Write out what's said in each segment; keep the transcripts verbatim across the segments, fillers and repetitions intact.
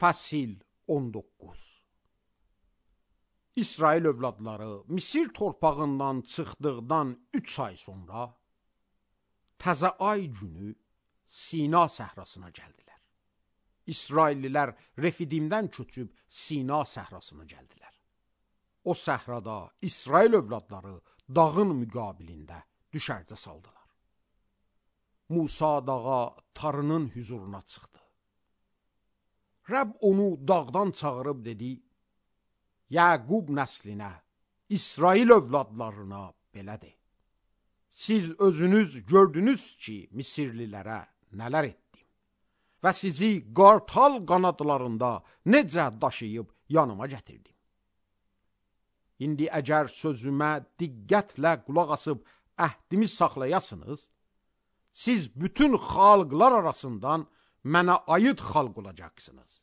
Fəsil on doqquz. İsrail övladları Misir torpağından çıxdıqdan üç ay sonra təzə ay günü Sina səhrasına gəldilər. İsraillilər Refidimdən köçüb Sina səhrasına gəldilər. O səhrada İsrail övladları dağın müqabilində düşərgə saldılar. Musa dağa Tarının hüzuruna çıxdı. Rəbb onu dağdan çağırıb dedi: Yaqub nəslinə, İsrail övladlarına belə de. Siz özünüz gördünüz ki, Misirlilərə nələr etdim və sizi qartal qanadlarında necə daşıyıb yanıma gətirdim. İndi əgər sözümə diqqətlə qulaq asıb əhdimi saxlayasınız, siz bütün xalqlar arasından mənə aid xalq olacaqsınız.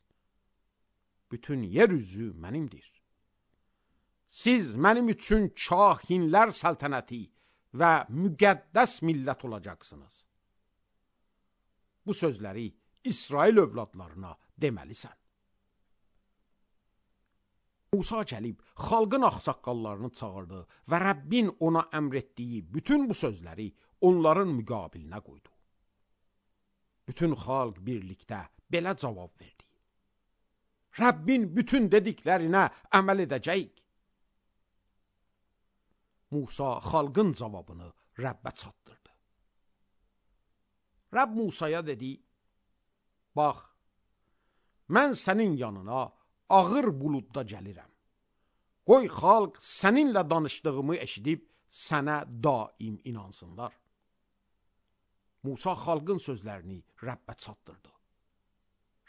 Bütün yer üzü mənimdir. Siz mənim üçün kahinlər səltənəti və müqəddəs millət olacaqsınız. Bu sözləri İsrail övladlarına deməlisən. Musa gəlib xalqın ağsaqqallarını çağırdı və Rəbbin ona əmr etdiyi bütün bu sözləri onların müqabilinə qoydu. Bütün xalq birlikdə belə cavab verdi: Rəbbin bütün dediklərinə əməl edəcəyik. Musa xalqın cavabını Rəbbə çatdırdı. Rəbb Musaya dedi: Bax, mən sənin yanına ağır buludda gəlirəm. Qoy xalq səninlə danışdığımı eşidib sənə daim inansınlar. Musa xalqın sözlərini Rəbbə çatdırdı.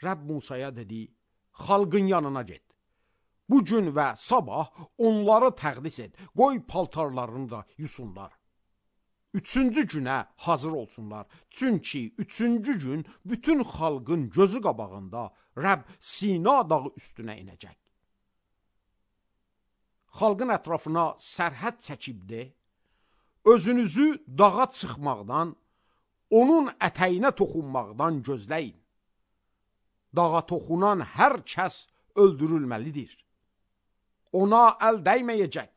Rəbb Musaya dedi: Xalqın yanına get. Bugün və sabah onları təqdis et. Qoy paltarlarını da yusunlar. Üçüncü günə hazır olsunlar. Çünki üçüncü gün bütün xalqın gözü qabağında Rəbb Sina dağı üstünə inəcək. Xalqın ətrafına sərhəd çəkib de, özünüzü dağa çıxmaqdan, onun ətəyinə toxunmaqdan gözləyin. Dağa toxunan hər kəs öldürülməlidir. Ona əl dəyməyəcək.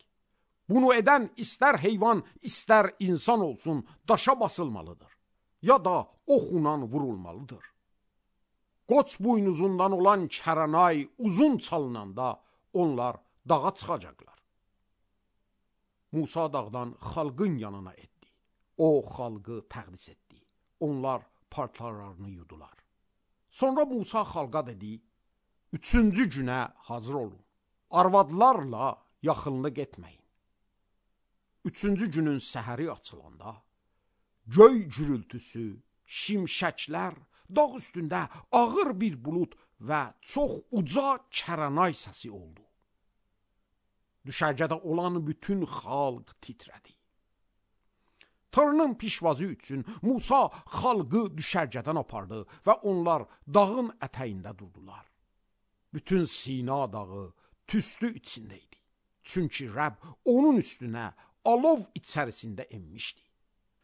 Bunu edən istər heyvan, istər insan olsun, daşa basılmalıdır. Ya da oxunan vurulmalıdır. Qoç buynuzundan olan kəranay uzun çalınanda onlar dağa çıxacaqlar. Musa dağdan xalqın yanına etdi. O xalqı təqdis etdi. Onlar paltarlarını yudular. Sonra Musa xalqa dedi: Üçüncü günə hazır olun. Arvadlarla yaxınlıq etməyin. Üçüncü günün səhəri açılanda göy gürültüsü, şimşəklər, dağ üstündə ağır bir bulud və çox uca kəranay səsi oldu. Düşərgədə olan bütün xalq titrədi. Tarının pişvazı üçün Musa xalqı düşərgədən apardı və onlar dağın ətəyində durdular. Bütün Sina dağı tüstü içində idi. Çünki Rəbb onun üstünə alov içərisində enmişdi.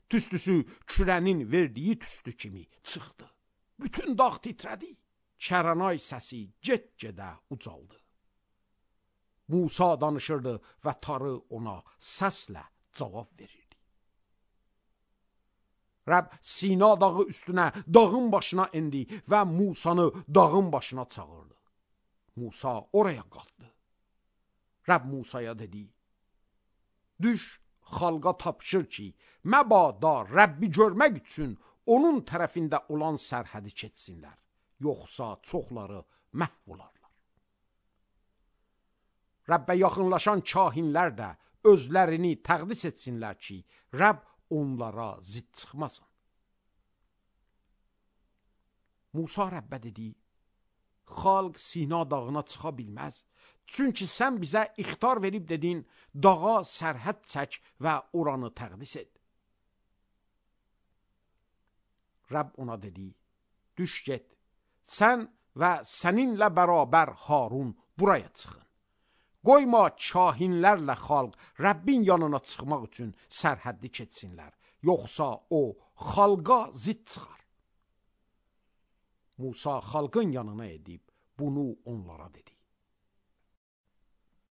Tüstüsü kürənin verdiyi tüstü kimi çıxdı. Bütün dağ titrədi. Kəranay səsi get-gedə ucaldı. Musa danışırdı və tarı ona səslə cavab verirdi. Rəbb Sina dağı üstünə dağın başına endi və Musanı dağın başına çağırdı. Musa oraya qalxdı. Rəbb Musaya dedi: Düş, xalqa tapşır ki, məbada Rəbbi görmək üçün onun tərəfində olan sərhədi keçsinlər, yoxsa çoxları məhv olarlar. Rəbbə yaxınlaşan kahinlər də özlərini təqdis etsinlər ki, Rəbb onlara zidd çıxmasın. Musa Rəbbə dedi: Xalq Sina dağına çıxa bilməz. Çünki sən bizə ixtar verib dedin, dağa sərhəd çək və oranı təqdis et. Rəbb ona dedi: Düş get, sən və səninlə bərabər Harun buraya çıxın. Qoyma kahinlərlə xalq Rəbbin yanına çıxmaq üçün sərhəddi keçsinlər, yoxsa o xalqa zidd çıxar. Musa xalqın yanına edib bunu onlara dedi.